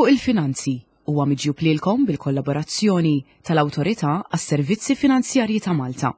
Fuq il-Finanzi huwa miġjub lilkom bil-kollaborazzjoni tal-Awtorità għas-Servizzi Finanzjarji ta' Malta.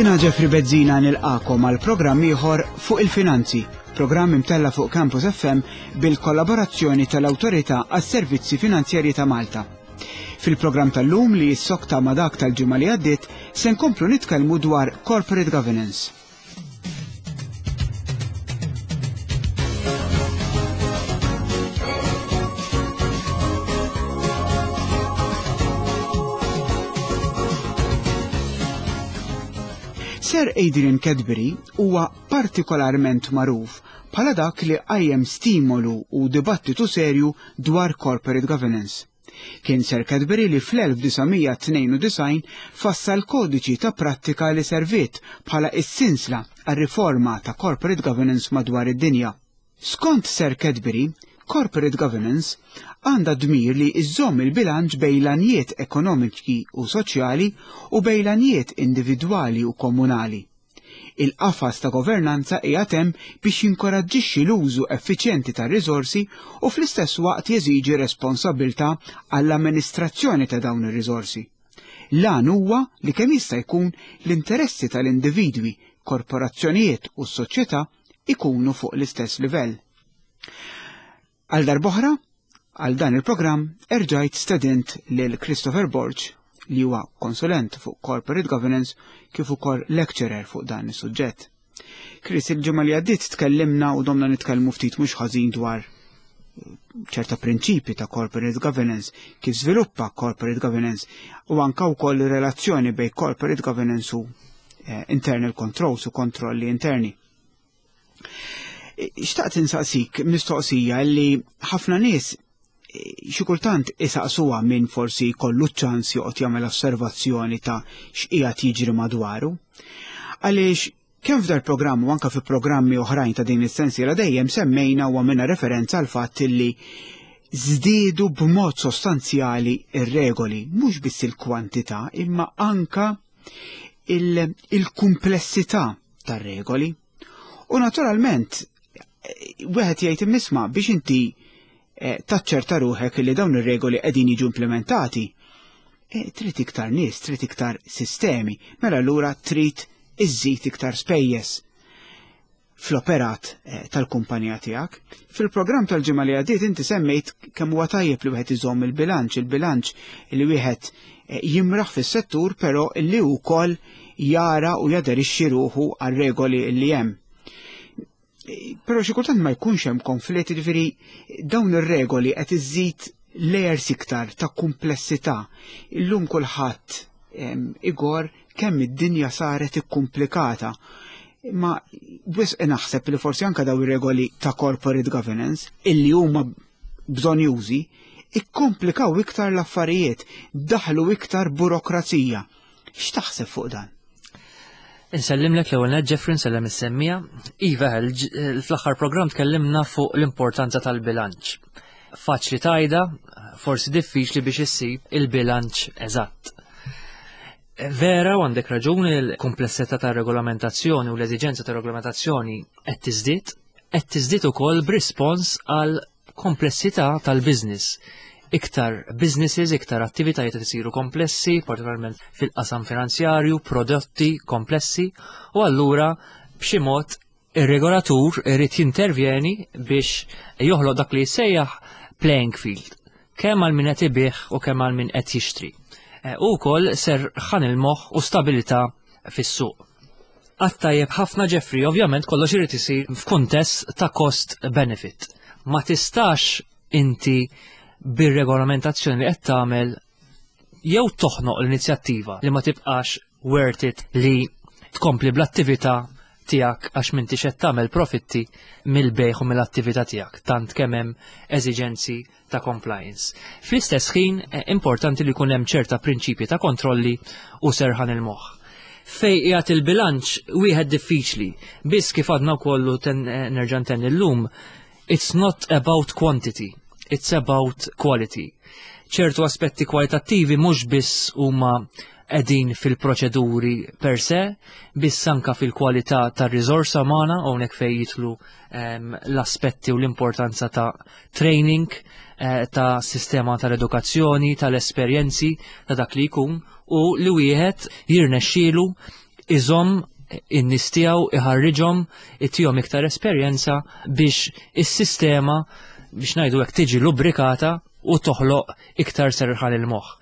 Jiena Jeffrey Bezzina nilqakom għal programm ieħor fuq il-finanzi, programm imtella fuq Campus FM bil-kollaborazzjoni tal-Awtorità għas-Servizzi Finanzjarji ta' Malta. Fil-programm tal-lum li jissokta ma' dak tal-ġimgħa li għaddiet se nkomplu nitkellmu dwar corporate governance. Sir Adrian Cadbury huwa partikolarment magħruf bħala dak li qajjem stimolu u dibattitu serju dwar corporate governance. Kien Sir Cadbury li fl-1992 fassal kodiċi ta' prattika li serviet bħala s-sinsla għar-riforma ta' corporate governance madwar id-dinja. Skont Sir Cadbury, corporate governance għandha dmir li iżżomm il-bilanċ bejn l-għanijiet ekonomiċi u soċjali u bejn l-għanijiet individwali u komunali. Il-qafas ta' governanza qiegħed hemm biex jinkoraġġixxi l-użu effiċjenti tar-riżorsi u fl-istess waqt jeżiġi responsabbiltà għall-amministrazzjoni ta' dawn ir-riżorsi. L-għan huwa li kemm jista' jkun l-interessi tal-individwi, korporazzjonijiet u s-soċjetà ikunu fuq l-istess livell. Għal darb'oħra, għal dan il-programm erġajt stedint lil Christopher Borg li huwa konsulent fuq corporate governance kif ukoll lecturer fuq dan is-suġġett. Chris, il-ġimgħa li għaddiet tkellimna u domna nitkellmu ftit mhux ħażin dwar eh, ċerta prinċipi ta' corporate governance, kif żviluppa corporate governance u anka wkoll relazzjoni bejn corporate governance u eh, internal controls u kontrolli interni. Xtaqt insaqsik mistoqsija li ħafna nies eh, xi kultant isaqsuha minn forsi kollu ċans joqgħod jagħmel osservazzjoni ta' x'qiegħed jiġri madwaru. Għaliex kemm f'dar programm u anke fi programmi oħrajn ta' din is-sensiela dejjem semmejna u għamilna referenza għal fatt li żdiedu b'mod sostanzjali ir-regoli, mhux biss il-kwantità imma anka il-kumplessità tar-regoli. U naturalment, wieħed jgħid immisma biex inti eh, taċċerta ruħek li dawn ir-regoli qegħdin jiġu implementati. Eh, trid iktar nies, trid iktar sistemi, mela allura trid iżżid iktar spejjeż fl-operat eh, tal-kumpanija tiegħek. Fil-programm tal-ġimgħa li għaddiet inti semmejt kemm huwa tajjeb li wieħed iżomm il-bilanċ, il-bilanċ li wieħed eh, jimraħ fis-settur però li wkoll jara u jaderixxi ruħu għar-regoli li hemm. Eh, però xi kultant ma jkunx hemm konflitt, jiġifieri dawn ir-regoli qed iżid layers iktar ta' kumplessità. Illum kulħadd igor kemm id-dinja saret ikkumplikata. Imma wisq naħseb li forsi anka daw ir-regoli ta' corporate governance illi huma bżonjużi ikkomplikaw iktar l-affarijiet, daħlu iktar burokrazija. X'taħseb fuq dan? Insellimlek l-ewwel net Jeffrey nsellem is-semmija. Iva, fl-aħħar programm tkellimna fuq l-importanza tal-bilanċ. Faċli tajda, forsi diffiċli biex issib il-bilanċ eżatt. Vera u għandek raġuni l-kumplessità ta' regolamentazzjoni u l-eżiġenza ta' regolamentazzjoni qed tiżdied, qed tiżdied ukoll b'rispons għal komplessità tal-business. Iktar businesses, iktar attivitajiet qed isiru komplessi, partikolarment fil-qasam finanzjarju, prodotti komplessi, u allura b'xi mod Ir-regolatur irid jintervjeni biex joħloq dak li jissejjaħ playing field, kemm għal min qed ibigħ u kemm għal min qed jixtri. Eh, u wkoll serħan il-moħħ u stabilità fis-suq. Għattajjeb ħafna Jeffrey, ovvjament kollox irid isir f'kuntest ta' cost benefit. Ma tistax inti bir-regolamentazzjoni li qed tagħmel jew toħnoq l-inizjattiva li ma tibqax worth it li tkompli bl-attività tiegħek għax m'intix qed tagħmel profitti mill-bejgħ u mill-attività tiegħek tant kemm hemm eżiġenzi ta' compliance. Fl-istess ħin importanti li jkun hemm ċerta prinċipji ta' kontrolli u serħan il-moħħ. Fej qiegħed il-bilanċ wieħed diffiċli, biss kif għadna wkoll nerġa' ntenni llum, it's not about quantity, it's about quality. Ċertu aspetti kwalitattivi mhux biss huma qegħdin fil-proċeduri per se, biss anka fil-kwalità tar-riżorsa magħna hawnhekk fejn jidħlu l-aspetti u l-importanza ta' training, ta' sistema tal-edukazzjoni, tal-esperjenzi ta' dak li jkun u li wieħed jirnexxielu iżomm in-nies tiegħu, iħarriġhom, itihom iktar esperjenza biex is-sistema biex ngħidu hekk tiġi lubrikata u toħloq iktar serħan il-moħħ.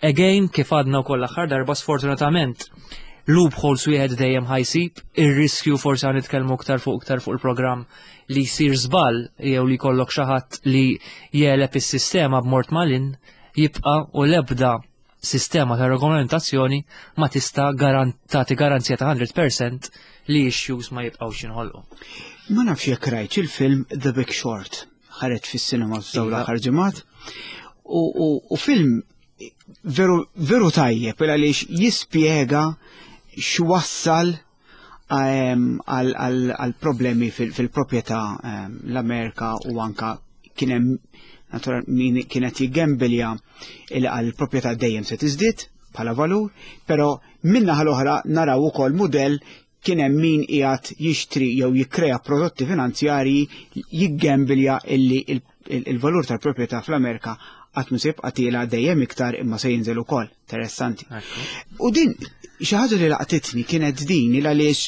Again, kif għadna wkoll l-aħħar darba, sfortunatament loopholes wieħed dejjem ħa jsib, ir-riskju forsi ħa nitkellmu iktar fuq il-programm li jsir żball jew li jkollok xi ħadd li jegħleb is-sistema b'mod malinn jibqa' u l-ebda sistema ta' regolamentazzjoni ma tista' tagħti garanzija ta' 100% li issues ma jibqgħux jinħolqu. Ma nafx jekk rajtx il-film The Big Short, ħareġ fis-cinema f'dawn l-aħħar ġimgħat. U film veru, veru tajjeb għaliex jispjega x'wassal għal problemi fil-proprjetà l-Amerika u anka kien hemm natural min kienet jiggembilja il għal proprjetà dejjem se tiżdied bħala valur, però min-naħa l-oħra naraw ukoll mudell kien hemm min qiegħed jixtri jew jikkrea prodotti finanzjarji jiggembilja illi il-valur tal-proprjetà fl-Amerika qatt mhu se jibqa' tiela' dejjem iktar imma se jinżel ukoll. Interessanti. U din xi ħaġa li laqtitni kienet din il għaliex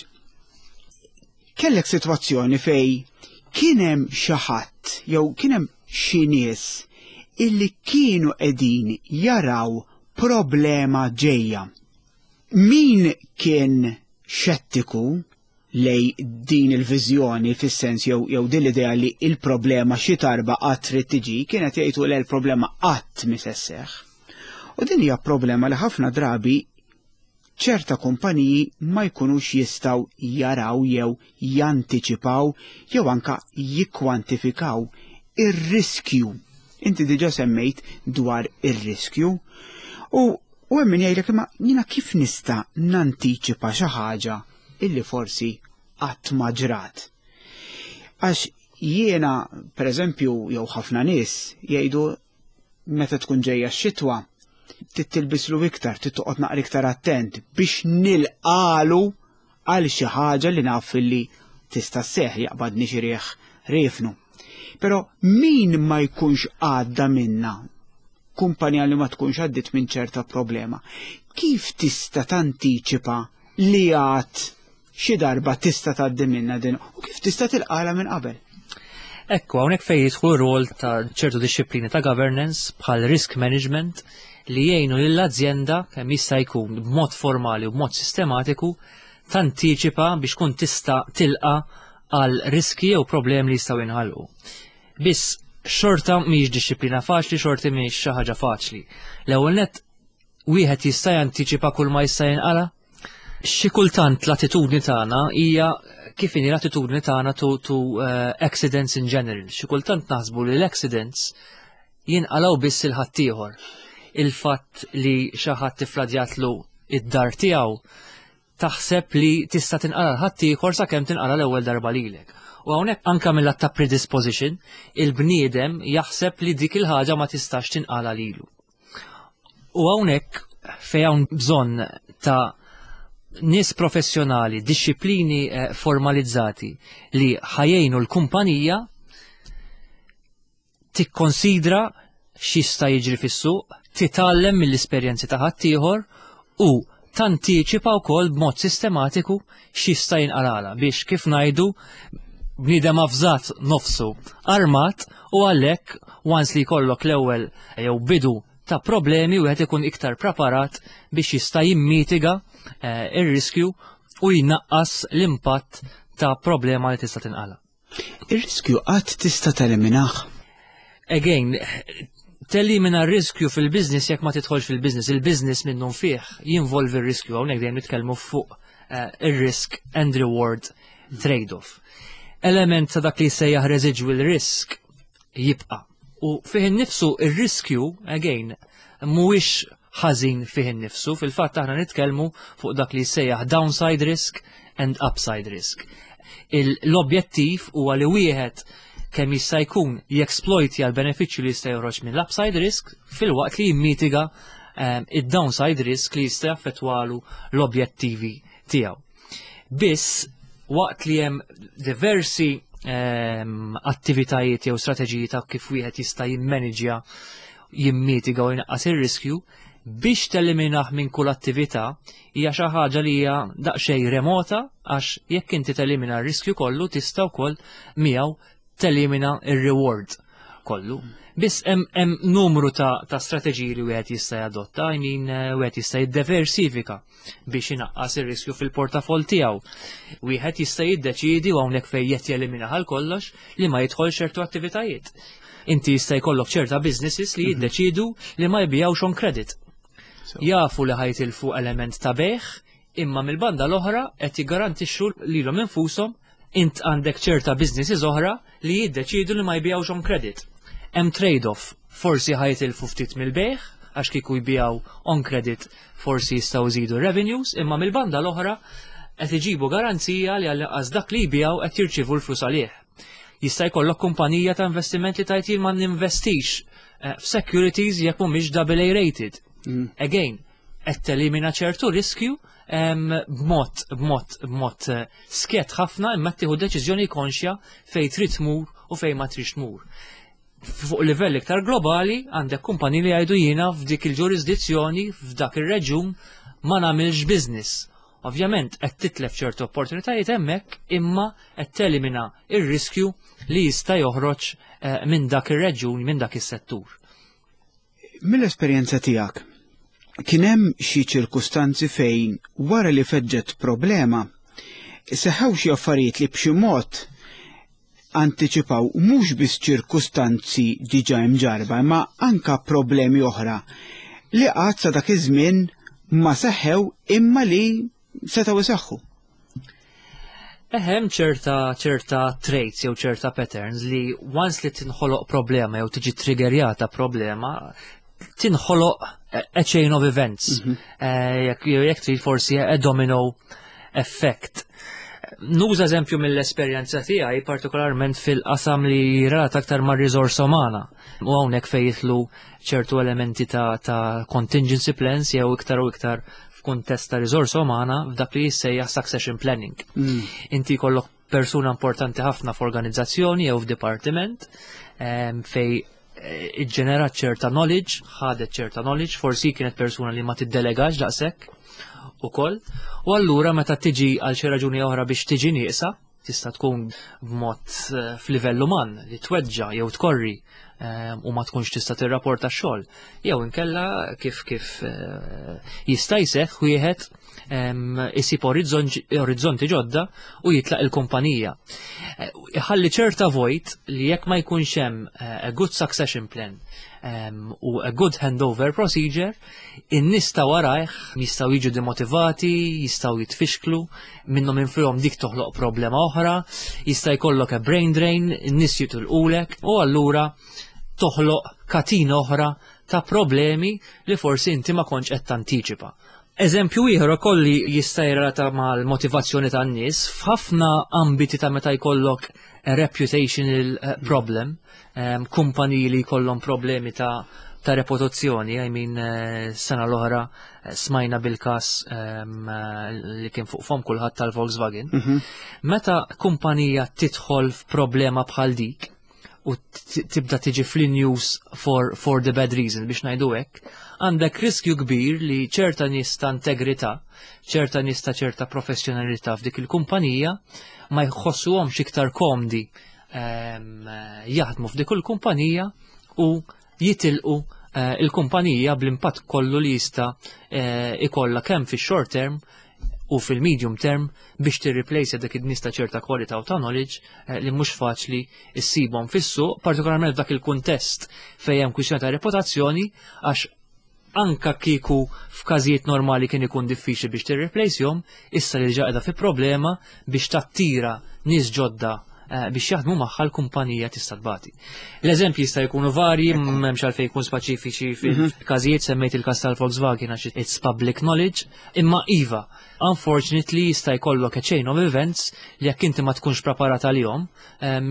kellek sitwazzjoni fej kien hemm xi ħadd jew kien hemm xi nies illi kienu qegħdin jaraw problema ġejja. Min kien xettiku lej din il-viżjoni fis-sens jew din l-idea li il-problema xi darba qatt trid tiġi, kienet jgħidu li l-problema qatt mi se sseħħ. U din hija problema li ħafna drabi ċerta kumpaniji ma jkunux jistgħu jaraw jew jantiċipaw jew anka jikkwantifikaw ir-riskju. Inti diġa semmejt dwar ir-riskju u hemm min jgħidlek, imma jiena kif nista' nantiċipa xi ħaġa illi forsi qatt ma ġrat? Għax jiena, per eżempju, jew ħafna nies jgħidu meta tkun ġejja x-xitwa, trid tilbislu iktar, trid toqgħod naqra iktar attent biex nilqalu għal xi ħaġa li naf li tista' sseħħ, jaqbadni xi riħ riefnu. Però min ma jkunx għadda minna, kumpanija li ma tkunx għaddit minn ċerta problema, kif tista' tantiċipa li għad xi darba tista' tgħaddi minna din u kif tista' tilqala minn qabel? Ekku, hawnhekk fejn jidħlu rol ta' ċertu dixxiplini ta' governance bħal risk management li jgħinu lill-azjenda kemm jista' jkun b'mod formali u b'mod sistematiku tantiċipa biex kun tista' tilqa għal riski jew problemi li jistgħu jinħalqu. Biss xorta mhix dixxiplina faċli, xorta mhix xi ħaġa faċli. L-ewwel net, wieħed jista' jantiċipa kull ma jista' jinqala? Xi kultant l-attitudni tagħna hija kif inhi l-attitudni tagħna to accidents in general. Xi kultant naħsbu li l-accidents jinqalaw biss il-ħaddieħor. Il-fatt li xi ħadd tifladjatlu id-dar tiegħu, taħseb li tista' tinqala l-ħaddieħor sakemm tinqala l-ewwel darba lilek. U hawnhekk anka mill ta' predisposition, il-bniedem jaħseb li dik il-ħaġa ma tistax tinqala lilu. U hawnhekk fejn hawn bżonn ta' nies professjonali, dixxiplini formalizzati li ħa jgħinu l-kumpanija tikkonsidra x'jista' jiġri fis-suq, titgħallem mill-esperjenzi ta' ħaddieħor u tantiċipa wkoll b'mod sistematiku x'jista' jinqalala biex, kif ngħidu, bniedem avżat nofsu armat, u għalhekk once li jkollok l-ewwel jew bidu ta' problemi, wieħed ikun iktar preparat biex jista' jimmitiga ir-riskju u jnaqqas l-impatt ta' problema li tista' tinqala. Ir-riskju qatt tista' teliminah? Again, Telimina r-riskju fil-business jekk ma tidħolx fil-business. Il-business minnu fih jinvolvi r-riskju, hawnhekk dejjem nitkellmu fuq ir-risk and reward trade-off. Element ta' dak li jsejjaħ residual risk jibqa'. U fih innifsu ir-riskju, again, mhuwiex ħażin fih innifsu, fil-fatt aħna nitkellmu fuq dak li jsejjaħ downside risk and upside risk. L-objettiv huwa li wieħed kemm jista' jkun jeksploitja l-benefiċċju li jista' joħroġ mill-upside risk filwaqt li jimmitiga id-downside risk li jista' jaffettwalu l-objettivi tiegħu. Biss waqt li hemm diversi attivitajiet jew strateġiji ta' kif wieħed jista' jimmaniġja, jimmitiga u jnaqqas ir-riskju, biex teliminah minn kull attività hija xi ħaġa li hija daqsxejn remota, għax jekk inti telimina r-riskju kollu tista' wkoll miegħu telimina r-reward kollu. Biss hemm numru ta' strateġiji li wieħed jista' jadotta, I mean, wieħed jista' jiddiversifika biex inaqqas ir-riskju fil-portafoll tiegħu. Wieħed jista' jiddeċiedi, u hawnhekk fejn qed jelimina għal kollox, li ma jidħol ċertu attivitajiet. Inti jista' jkollok ċerta businesses li jiddeċidu li ma jbijawx on credit. Jafu li ħa jitilfu element ta' bejgħ, imma mill-banda l-oħra qed jiggarantixxu lilhom infushom. Int għandek ċerta businesses oħra li jiddeċidu li ma jbijawx on credit. Hemm trade-off, forsi ħa jitilfu ftit mill-bejgħ, għax kieku jbijaw on credit forsi jistgħu jżidu revenues, imma mill-banda l-oħra qed iġibu garanzija li għall-inqas dak li jbijaw qed jirċievu l-flus għalih. Jista' jkollok kumpanija ta' investiment li tgħid jien ma ninvestix f'securities jekk mhumiex double A rated. Again, qed telimina ċertu riskju b'mod skjet ħafna, imma tieħu deċiżjoni konxja fejn trid tmur u fejn ma tridx tmur. Fuq livell iktar globali għandek kumpani li jgħidu jiena f'dik il-ġurisdizzjoni, f'dak ir-reġjun ma nagħmilx business. Ovvjament qed titlef ċertu opportunitajiet hemmhekk, imma qed telimina ir-riskju li jista' joħroġ minn dak ir-reġjun, minn dak is-settur. Mill-esperjenza tiegħek, kien hemm xi ċirkustanzi fejn wara li feġġet problema seħħew xi affarijiet li b'xi mod antiċipaw mhux biss ċirkustanzi diġà imġarba, imma anka problemi oħra li qatt sa dak iż-żmien ma seħħew imma li setgħu iseħħu? Ehem ċerta traits jew ċerta patterns li once li tinħoloq problema jew tiġi triggerjata problema, tinħoloq a chain of events. Jekk trid forsi a domino effect. Nuża eżempju mill-esperjenza tiegħi, partikolarment fil-qasam li relata aktar ma' riżorsa umana. U hawnhekk fejn jidħlu ċertu elementi ta' contingency plans jew iktar u iktar f'kuntest ta' riżorsa umana f'dak li jissejjaħ succession planning. Inti jkollok persuna importanti ħafna f'organizzazzjoni jew f'dipartiment fej iġġenerat ċerta knowledge, ħadet ċerta knowledge, forsi kienet persuna li ma tiddelegax daqshekk ukoll. U allura meta tiġi għal xi raġuni oħra biex tiġi nieqsa, tista' tkun b'mod f'livell uman li tweġġa jew tkorri u ma tkunx tista' tirrapporta x-xogħol. Jew inkella kif jista' jseħħ wieħed isib orizzonti ġodda u jitlaq il-kumpanija. Iħalli ċerta vojt li jekk ma jkunx hemm a good succession plan u a good handover procedure, in-nies ta' warajh jistgħu jiġu demotivati, jistgħu jitfixklu, minnhom infihom dik toħloq problema oħra, jista' jkollok a brain drain, in-nies jitilqulek u allura toħloq katina oħra ta' problemi li forsi inti ma kontx qed tantiċipa. Eżempju ieħor ukoll li jista' jirrelata mal-motivazzjoni tan-nies, f'ħafna ambiti ta' meta jkollok a reputational problem, kumpaniji li jkollhom problemi ta' reputazzjoni, I mean, sena l-oħra smajna bil-kas li kien fuq fom kulħadd tal-Volkswagen. Meta kumpanija tidħol f'problema bħal dik u tibda tiġi fl-news for the bad reason, biex ngħidu hekk, għandek riskju kbir li ċerta nies ta' integrità, ċerta nies ta' ċerta professjonalità f'dik il-kumpanija ma jħossuhomx iktar komdi jaħdmu f'dik il-kumpanija u jitilqu il-kumpanija bl-impatt kollu li jista' ikollha kemm fix-short term. u fil-medium term biex tirreplace dak id-nies ta' ċerta kwalità u ta' knowledge li mhux faċli issibhom fis-suq, partikolarment f'dak il-kuntest fejn hemm kwistjoni ta' reputazzjoni, għax anka kieku f'każijiet normali kien ikun diffiċli biex tirreplacehom, issa li ġa qiegħda fi problema biex tattira nies ġodda biex jaħdmu magħha, l-kumpanija tista' tbati. L-eżempji jista' jkunu varji, m'hemmx għalfejn jkun speċifiċi fil-każijiet, semmejt il-każ tal-Volkswagen għax it's public knowledge, imma iva, unfortunately jista' jkollok a chain of events li jekk inti ma tkunx preparat għalihom,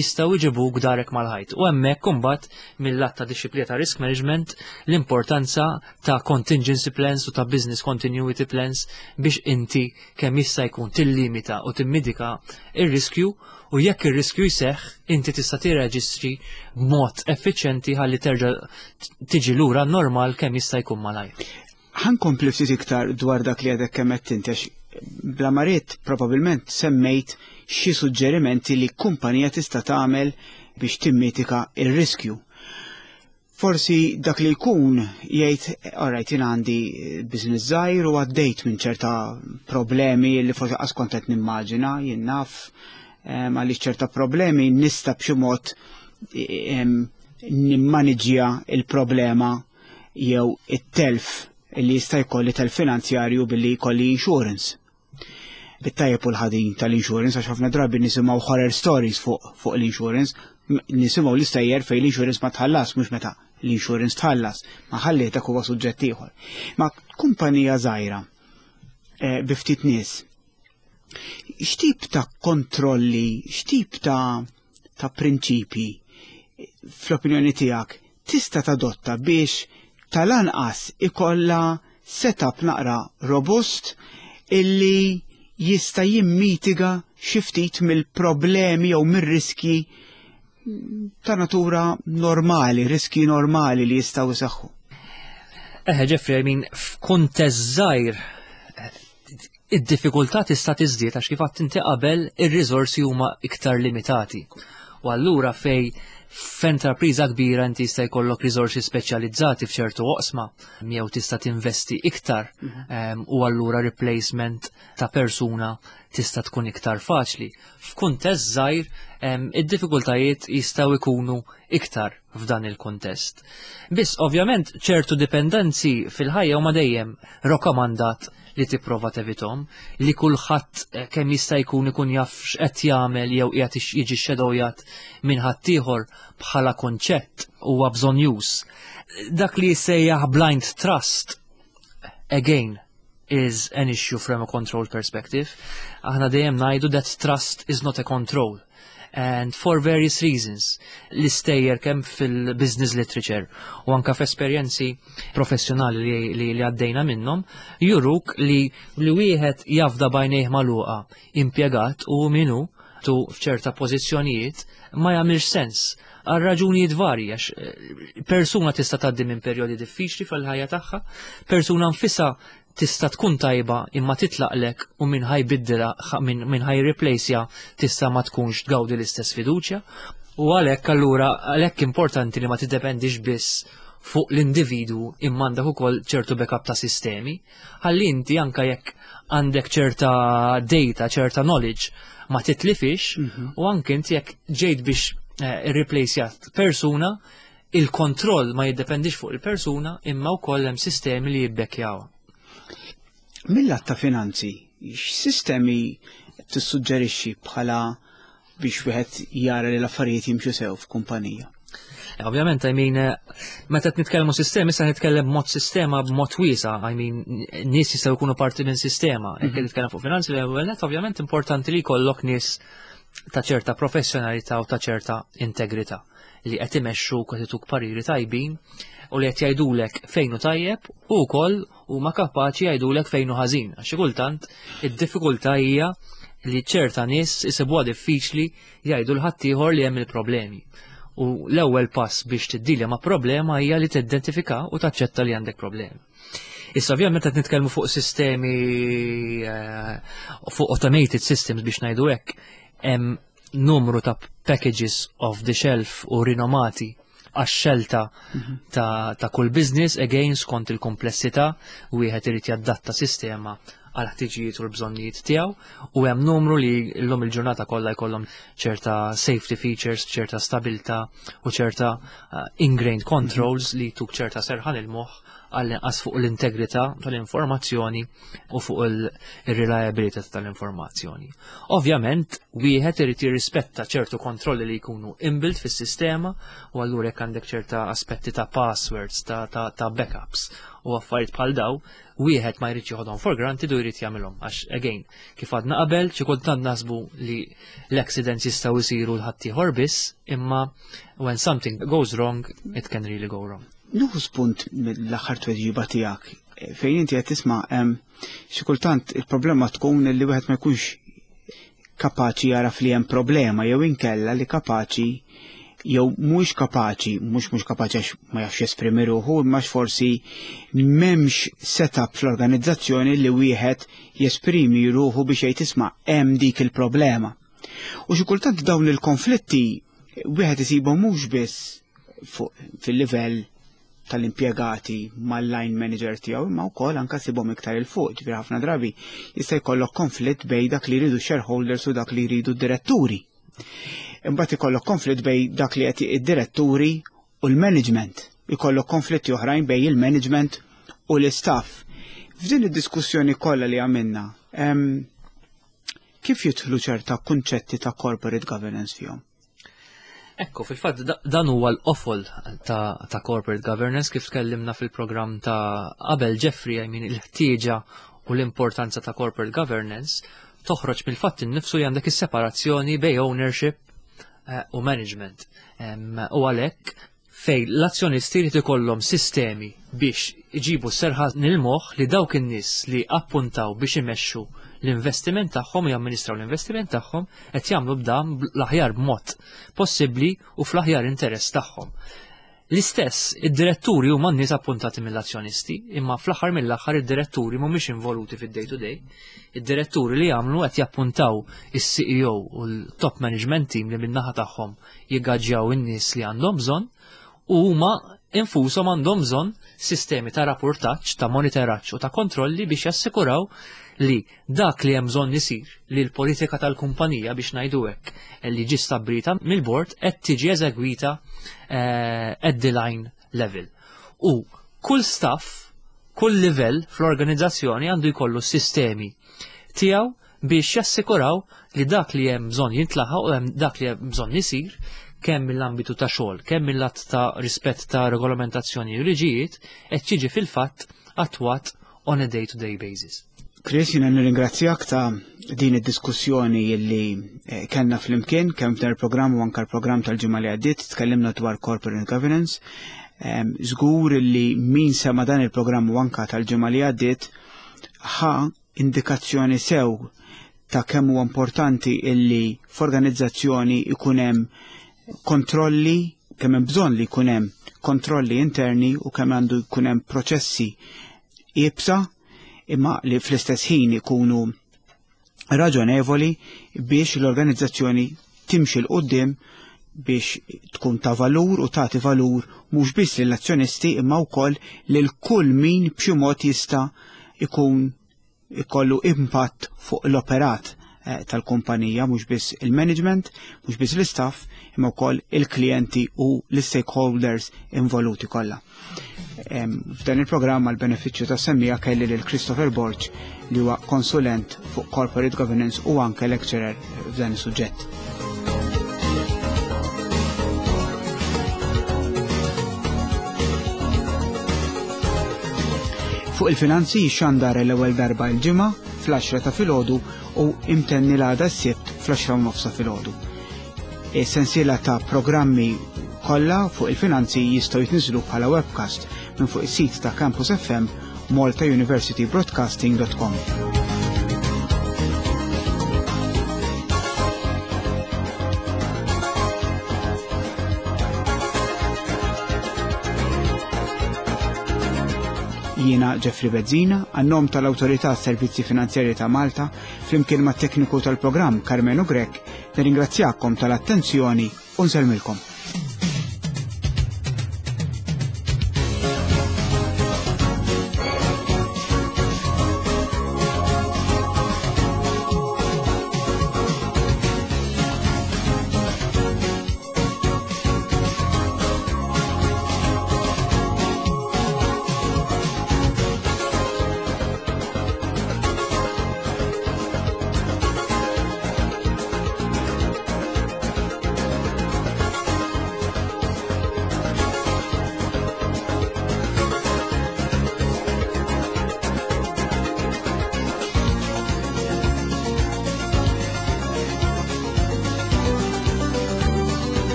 jistgħu jġibuk darek mal-ħajt. U hemmhekk imbagħad mill-lat ta' dixxiplina ta' risk management l-importanza ta' contingency plans u ta' business continuity plans biex inti kemm jista' jkun tillimita u timmitiga ir-riskju, u jekk ir-riskju jseħħ inti tista' tirreġistri b'mod effiċjenti ħalli terġa' tiġi lura normal kemm jista' jkun malajr. Ħa nkompli ftit iktar dwar dak li għadek kemm qed inti, għax bla ma ridt probabbilment semmejt xi suġġerimenti li kumpanija tista' tagħmel biex timmitiga ir-riskju. Forsi dak li jkun jgħid, "Alright, jien għandi business żgħir u għaddejt minn ċerta problemi li forsi qas kont qed nimmaġina, jien naf għaliex ċerta problemi nista' b'xi mod nimmaniġġja il-problema jew it-telf li jista' jkolli, telf finanzjarju, billi jkolli insurance." Bit-tajjeb u l-ħażin tal-insurance, għax ħafna drabi nisimgħu horror stories fuq l-insurance, nisimgħu l-istejjer fejn l-insurance ma tħallas, mhux meta l-insurance tħallas, ma ħalli dak huwa suġġett ieħor. Ma kumpanija żgħira bi ftit nies, x'tip ta' kontrolli, x'tip ta' prinċipi fl-opinjoni tiegħek tista' tadotta biex tal-anqas ikolla setup naqra robust illi jista' jimmitiga xi ftit mill-problemi jew mir-riski ta' natura normali, riski normali li jistgħu jseħħu? Eħe, Jeffrey, I mean, f'kuntest żgħir id-diffikultà tista' tiżdied għax, kif għedt inti qabel, ir-riżorsi huma iktar limitati. U allura fej f'enterpriża kbira inti jista' jkollok riżorsi speċjalizzati f'ċertu oqsma jew tista' tinvesti iktar u allura replacement ta' persuna tista' tkun iktar faċli. F'kuntest żgħir id-diffikultajiet jistgħu jkunu iktar f'dan il-kuntest. Biss ovvjament ċertu dipendenzi fil-ħajja huma dejjem rakkomandat li tipprova tevitahom, li kulħadd kemm jista' jkun ikun jaf x'qed jagħmel jew qiegħed jiġi shadowjat minn ħaddieħor bħala konċett huwa bżonnjuż. Dak li jissejjaħ blind trust, again, is an issue from a control perspective. Aħna dejjem ngħidu that trust is not a control. And for various reasons. L-istejjer kemm fil-business literature u anka f'esperjenzi professjonali li għaddejna minnhom juruk li wieħed jafda b'għajnejh magħluqa impjegat u minu tu f'ċerta pożizzjonijiet ma jagħmilx sens għal raġunijiet varji, għax persuna tista' tgħaddi minn perjodi diffiċli fil-ħajja tagħha, persuna nfisha tista' tkun tajba imma titlaqlek u min ħa jbiddilha, min ħa jirreplaceja tista' ma tkunx tgawdi l-istess fiduċja. U għalhekk allura għalhekk importanti li ma tiddependix biss fuq l-individu imma għandek ukoll ċertu backup ta' sistemi. Ħalli inti anka jekk għandek ċerta data, ċerta knowledge, ma titlifix u anke inti jekk ġejt biex irreplacejat persuna, il-kontroll ma jiddependix fuq il-persuna imma wkoll hemm sistemi li jibbekkjaw. Mill-lat ta' finanzi, x'sistemi tissuġġerixxi bħala biex wieħed jara li l-affarijiet jimxu sew f'kumpanija? Ovvjament, I mean, meta qed nitkellmu sistemi, sa nitkellem b'mod sistema b'mod wiesa', I mean, nies jistgħu jkunu parti minn sistema. Jekk nitkellem fuq finanzi, l-ewwel net ovvjament importanti li jkollok nies ta' ċerta professjonalità u ta' ċerta integrità li qed imexxu, qed ituk pariri tajbin u li qed jgħidulek fejn hu tajjeb u wkoll huma kapaċi jgħidulek fejn hu ħażin. Għax xi kultant id-diffikultà hija li ċerta nies isibuha diffiċli jgħidu 'l ħaddieħor li hemm il-problemi. U l-ewwel pass biex tiddilja ma' problema hija li tidentifika u taċċetta li għandek problemi. Issa ovvjament qed nitkellmu fuq sistemi, fuq automated systems biex ngħidu hekk, hemm numru ta' packages off the shelf u rinomati għax-xelta ta' kull business, again skont il-komplessità, wieħed irid jaddatta sistema għal ħtiġijiet u l-bżonnijiet tiegħu u hemm numru li llum il-ġurnata kollha jkollhom ċerta safety features, ċerta stabilità u ċerta ingrained controls li tuk ċerta serħan il-moħħ għall-inqas fuq l-integrità tal-informazzjoni u fuq il-reliability tal-informazzjoni. Ovvjament, wieħed irid jirrispetta ċertu kontrolli li jkunu inbuilt fis-sistema u allura jekk għandek ċerta aspetti ta' passwords, ta backups u affarijiet bħal daw, wieħed ma jridx joħodhom for granted u jrid jagħmilhom għax again, kif għadna qabel, xi kultant naħsbu li l-accidents jistgħu jsiru lil ħaddieħor biss, imma when something goes wrong, it can really go wrong. Nieħu spunt mill-aħħar tweġiba tiegħek fejn inti qed tisma' xi kultant il-problema tkun li wieħed ma jkunx kapaċi jaraf li hemm problema jew inkella li kapaċi jew mhux kapaċi, mhux kapaċi għax ma jafx jesprimi ruħu, imma forsi m'hemmx setup fl-organizzazzjoni li wieħed jesprimi ruħu biex jgħid isma' hemm dik il-problema. U xi kultant dawn il-konflitti wieħed isibhom mhux biss fil-livell tal-impjegati mal-line manager tiegħu imma wkoll anke sibhom iktar 'il fuq, ġifieri ħafna drabi jista' jkollok konflitt bejn dak li jridu shareholders u dak li jridu diretturi. Imbagħad ikollok konflitt bejn dak li qed id-diretturi u l-management. Ikollok konflitti oħrajn bejn il-management u l-istaff. F'din id-diskussjoni kollha li għamilna, kif jidħlu ċerta kunċetti ta' corporate governance fihom? Ekku, fil-fatt dan huwa l-qofol ta corporate governance kif tkellimna fil-programm ta' qabel Jeffrey, I mean, il-ħtieġa u l-importanza ta' corporate governance toħroġ mill-fatt innifsu li għandek is-separazzjoni bejn ownership u management. U għalhekk fejn l-azzjonisti jrid ikollhom sistemi biex iġibu serħan il-moħħ li dawk in-nies li appuntaw biex imexxu l-investiment tagħhom u jamministraw l-investiment tagħhom qed jagħmlu b'dan l-aħjar b'mod possibbli u fl-aħjar interess tagħhom. L-istess, id-diretturi huma n-nies appuntati mill-azzjonisti, imma fl-aħħar mill-aħħar id-diretturi mhumiex involuti fid-day to day. Id-diretturi li jagħmlu qed jappuntaw is-CEO u l-top management team li min-naħa tagħhom jiggaġġjaw in-nies li għandhom bżonn u huma infushom għandhom bżonn sistemi ta' rapportaġġ, ta' monitoraġġ u ta' kontrolli biex jassikuraw li dak li hemm bżonn isir li l-politika tal-kumpanija biex ngħidu hekk li ġi stabbilita mill-bord qed tiġi eżegwita at the line level. U kull staff, kull livell fl-organizzazzjoni għandu jkollu sistemi tiegħu biex jassikuraw li dak li hemm bżonn jintlaħaq u hemm dak li hemm bżonn isir kemm mill-ambitu ta' xogħol, kemm mill-att ta' rispett ta' regolamentazzjoni u liġijiet qed jiġi fil-fatt attwat on a day-to-day basis. Chris, jiena nirringrazzjak ta' din id-diskussjoni li kellna flimkien, kemm f'dan il-programm u anke l-programm tal-ġimgħa li għaddiet, tkellimna dwar corporate governance. Żgur li min sema dan il-programm u anke tal-ġimgħa li għaddiet ħa indikazzjoni sew ta' kemm huwa importanti illi f'organizzazzjoni ikun hemm kontrolli, kemm hemm bżonn li jkun hemm kontrolli interni u kemm għandu jkun hemm proċessi iebsa imma li fl-istess ħin ikunu raġonevoli biex l-organizzazzjoni timxi 'l quddiem biex tkun ta' valur u tagħti valur mhux biss lill-azzjonisti imma wkoll lil kull min b'xi mod jista' ikun ikollu impatt fuq l-operat tal-kumpanija, mhux biss il-management, mhux biss l-istaff, imma wkoll il-klijenti u l-stakeholders involuti kollha. F'dan il-programm għal benefiċċju tas-semmiegħa kelli lil Christopher Borg li huwa konsulent fuq corporate governance u anke lecturer f'dan is-suġġett. Fuq il-finanzi xandar l-ewwel darba il-ġimgħa fl-10 ta' filgħodu u imtenni l-għada s-Sibt fl-10:30 filgħodu. Is-sensiela ta' programmi kollha fuq il-finanzi jistgħu jitniżlu bħala webcast minn fuq is-sit ta' Campus FM maltauniversitybroadcasting.com. Jiena Jeffrey Bezzina, għan-nom tal-Awtorità Servizzi Finanzjarji ta' Malta, flimkien mat tekniku tal-programm Carmenu Grech, nirringrazzjakom tal-attenzjoni u nsellmilkom.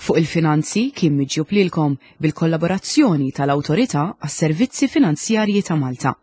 Fuq il-Finanzi kien miġjub lilkom bil-kollaborazzjoni tal-Awtorità għas-Servizzi Finanzjarji ta' Malta.